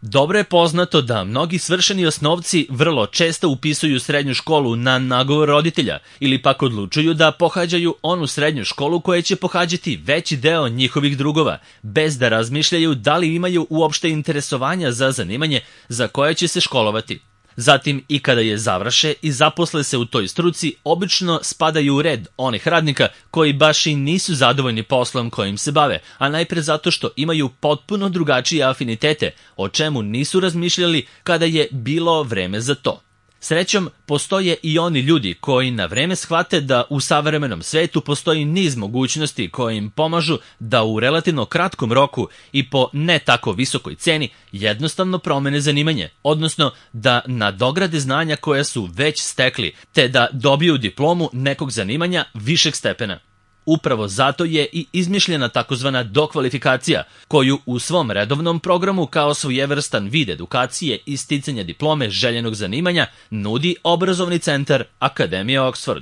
Dobro je poznato da mnogi svršeni osnovci vrlo često upisuju srednju školu na nagovor roditelja ili pak odlučuju da pohađaju onu srednju školu koja će pohađati veći deo njihovih drugova, bez da razmišljaju da li imaju uopšte interesovanja za zanimanje za koje će se školovati. Zatim, i kada je završe i zaposle se u toj struci, obično spadaju u red onih radnika koji baš i nisu zadovoljni poslom kojim se bave, a najpre zato što imaju potpuno drugačije afinitete, o čemu nisu razmišljali kada je bilo vreme za to. Srećom, postoje i oni ljudi koji na vreme shvate da u savremenom svetu postoji niz mogućnosti koje im pomažu da u relativno kratkom roku i po ne tako visokoj ceni jednostavno promene zanimanje, odnosno da nadograde znanja koja su već stekli, te da dobiju diplomu nekog zanimanja višeg stepena. Upravo zato je i izmišljena takozvana dokvalifikacija, koju u svom redovnom programu kao svojevrstan vid edukacije i sticanja diplome željenog zanimanja nudi obrazovni centar Akademije Oxford.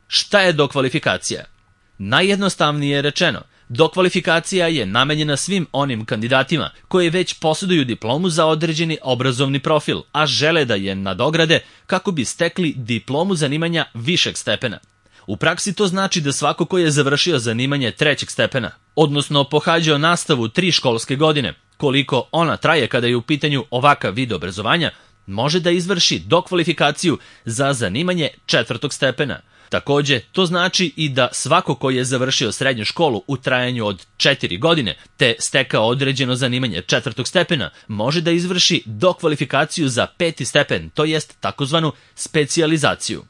Šta je dokvalifikacija? Najjednostavnije rečeno, dokvalifikacija je namenjena svim onim kandidatima koji već posjeduju diplomu za određeni obrazovni profil, a žele da je nadograde kako bi stekli diplomu zanimanja višeg stepena. U praksi to znači da svako ko je završio zanimanje trećeg stepena, odnosno pohađao nastavu 3 školske godine, koliko ona traje kada je u pitanju ovakav vid obrazovanja, može da izvrši dokvalifikaciju za zanimanje četvrtog stepena. Takođe, to znači i da svako ko je završio srednju školu u trajanju od 4 godine, te stekao određeno zanimanje četvrtog stepena, može da izvrši dokvalifikaciju za 5. stepen, to jest takozvanu specijalizaciju.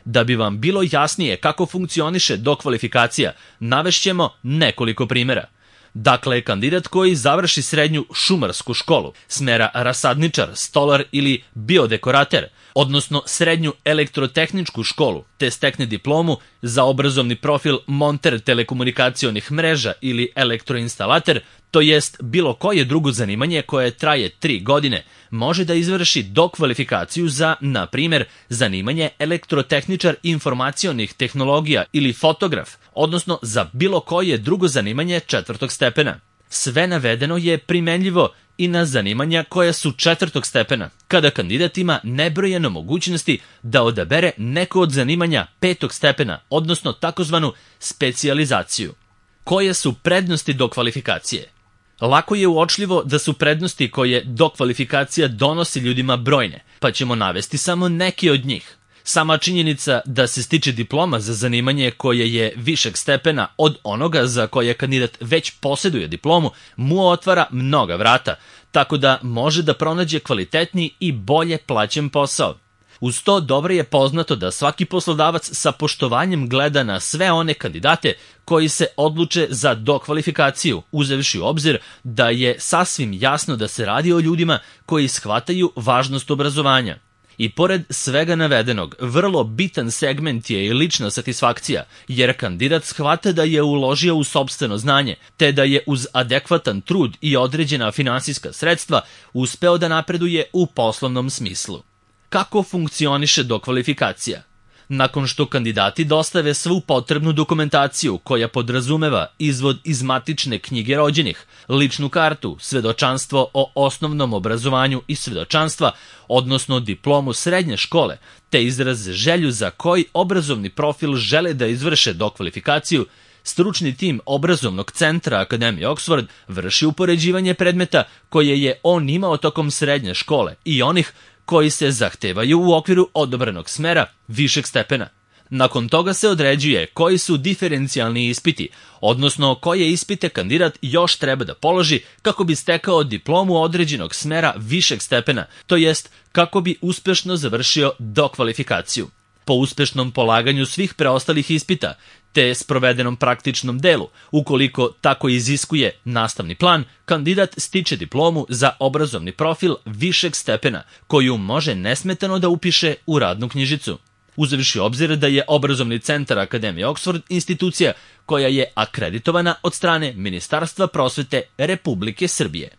Da bi vam bilo jasnije kako funkcioniše dokvalifikacija, navešćemo nekoliko primjera. Dakle, kandidat koji završi srednju šumarsku školu, smera rasadničar, stolar ili biodekorater, odnosno srednju elektrotehničku školu, te stekne diplomu za obrazovni profil monter telekomunikacionih mreža ili elektroinstalater, to jest bilo koje drugo zanimanje koje traje 3 godine, može da izvrši dokvalifikaciju za, na primjer, zanimanje elektrotehničar informacionih tehnologija ili fotograf, odnosno za bilo koje drugo zanimanje četvrtog stepena. Sve navedeno je primenljivo i na zanimanja koja su četvrtog stepena, kada kandidat ima nebrojeno mogućnosti da odabere neko od zanimanja 5. stepena, odnosno takozvanu specijalizaciju. Koje su prednosti dokvalifikacije? Lako je uočljivo da su prednosti koje dokvalifikacija donosi ljudima brojne, pa ćemo navesti samo neke od njih. Sama činjenica da se stiče diploma za zanimanje koje je višeg stepena od onoga za koje kandidat već posjeduje diplomu, mu otvara mnoga vrata, tako da može da pronađe kvalitetniji i bolje plaćen posao. Uz to dobro je poznato da svaki poslodavac sa poštovanjem gleda na sve one kandidate koji se odluče za dokvalifikaciju, uzevši u obzir da je sasvim jasno da se radi o ljudima koji shvataju važnost obrazovanja. I pored svega navedenog, vrlo bitan segment je i lična satisfakcija, jer kandidat shvata da je uložio u sopstveno znanje, te da je uz adekvatan trud i određena finansijska sredstva uspeo da napreduje u poslovnom smislu. Kako funkcioniše dokvalifikacija? Nakon što kandidati dostave svu potrebnu dokumentaciju koja podrazumeva izvod iz matične knjige rođenih, ličnu kartu, svedočanstvo o osnovnom obrazovanju i svedočanstva, odnosno diplomu srednje škole, te izraz želju za koji obrazovni profil žele da izvrše dokvalifikaciju, stručni tim obrazovnog centra Akademije Oxford vrši upoređivanje predmeta koje je on imao tokom srednje škole i onih koji se zahtevaju u okviru odobrenog smera višeg stepena. Nakon toga se određuje koji su diferencijalni ispiti, odnosno koje ispite kandidat još treba da položi kako bi stekao diplomu određenog smera višeg stepena, to jest kako bi uspešno završio dokvalifikaciju. Po uspešnom polaganju svih preostalih ispita, te sprovedenom praktičnom delu, ukoliko tako iziskuje nastavni plan, kandidat stiče diplomu za obrazovni profil višeg stepena, koju može nesmetano da upiše u radnu knjižicu. Uzevši obzir da je obrazovni centar Akademije Oxford institucija koja je akreditovana od strane Ministarstva prosvete Republike Srbije.